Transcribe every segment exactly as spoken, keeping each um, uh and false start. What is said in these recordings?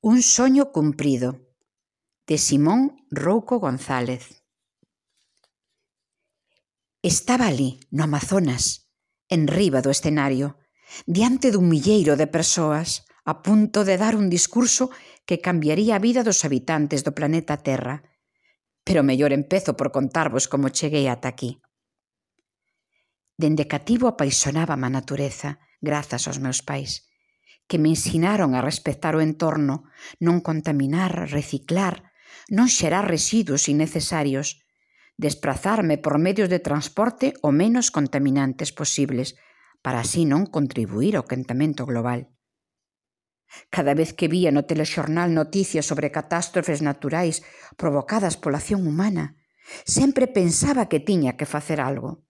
Un soño cumprido, de Simón Rouco González. Estaba ali, no Amazonas, enriba do escenario, diante dun milleiro de persoas, a punto de dar un discurso que cambiaría a vida dos habitantes do planeta Terra. Pero mellor empezo por contarvos como cheguei ata aquí. Dende cativo apaixonaba-me a natureza, grazas aos meus pais, que me ensinaron a respectar o entorno, non contaminar, reciclar, non xerar residuos innecesarios, desprazarme por medios de transporte o menos contaminantes posibles, para así non contribuir ao quentamento global. Cada vez que vía no telexornal noticias sobre catástrofes naturais provocadas pola acción humana, sempre pensaba que tiña que facer algo.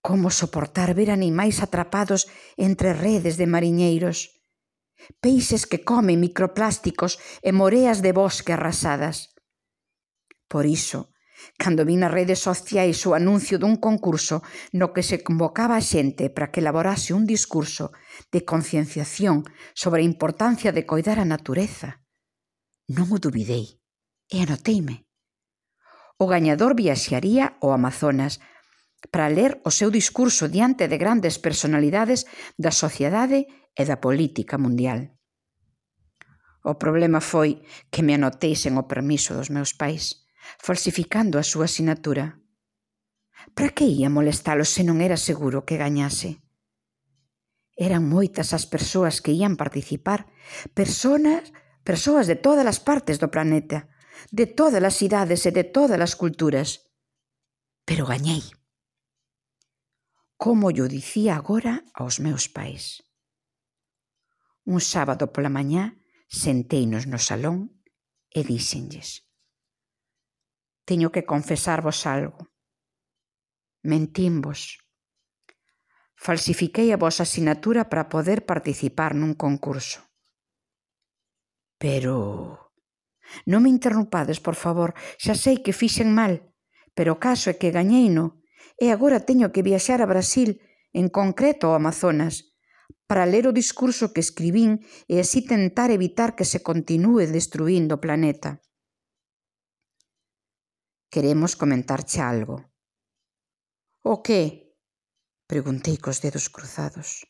Como soportar ver animais atrapados entre redes de mariñeiros, peixes que comen microplásticos e moreas de bosque arrasadas? Por iso, cando vi nas redes sociais o anuncio dun concurso no que se convocaba a xente para que elaborase un discurso de concienciación sobre a importancia de coidar a natureza, non o dubidei e anoteime. O gañador viaxaría ao Amazonas para ler o seu discurso diante de grandes personalidades da sociedade e da política mundial. O problema foi que me anotei sen o permiso dos meus pais, falsificando a súa sinatura. Para que ia molestalos se non era seguro que gañase? Eran moitas as persoas que ían participar, personas, persoas de todas as partes do planeta, de todas as idades e de todas as culturas. Pero gañei. Como yo dicía agora aos meus pais. Un sábado pola mañá senteino no salón e díxenlles: teño que confesarvos algo. Mentimvos. Falsifiquei a vosa sinatura para poder participar nun concurso. Pero... non me interrompades, por favor, xa sei que fixen mal, pero o caso é que gañeino e agora teño que viaxar a Brasil, en concreto ao Amazonas, para ler o discurso que escribín e así tentar evitar que se continúe destruindo o planeta. Queremos comentarche algo. O que? Preguntei cos dedos cruzados.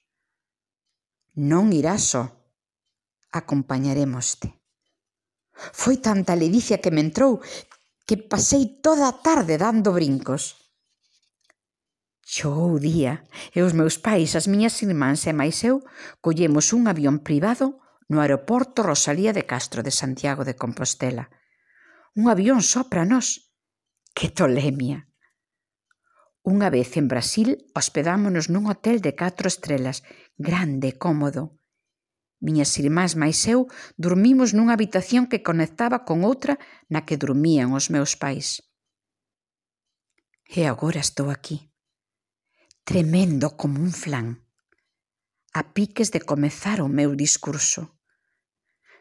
Non irás só. Acompañarémoste. Foi tanta a ledicia que me entrou que pasei toda a tarde dando brincos. Chegou o día e os meus pais, as miñas irmáns e máis eu collemos un avión privado no aeroporto Rosalía de Castro de Santiago de Compostela. Un avión só para nós. Que tolemia! Unha vez en Brasil hospedámonos nun hotel de catro estrelas, grande e cómodo. Miñas irmás máis eu dormimos nunha habitación que conectaba con outra na que dormían os meus pais. E agora estou aquí, tremendo como un flan, a piques de comezar o meu discurso.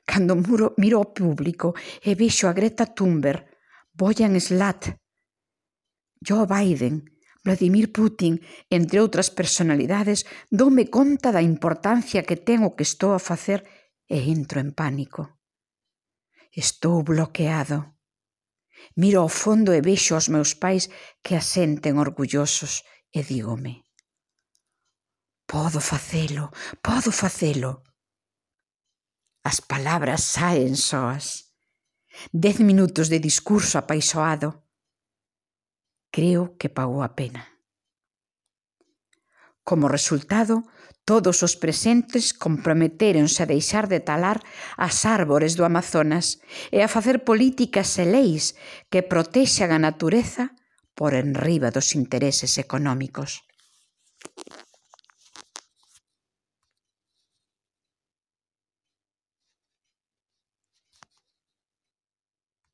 Cando miro, miro ao público e vexo a Greta Thunberg, Boyan Slat, Joe Biden, Vladimir Putin, entre outras personalidades, doume conta da importancia que ten o que estou a facer e entro en pánico. Estou bloqueado. Miro ao fondo e vexo aos meus pais que asenten orgullosos e dígome: podo facelo, podo facelo. As palabras saen soas. Dez minutos de discurso apaixoado. Creo que pagou a pena. Como resultado, todos os presentes comprometéronse a deixar de talar as árbores do Amazonas e a facer políticas e leis que protexan a natureza por enriba dos intereses económicos.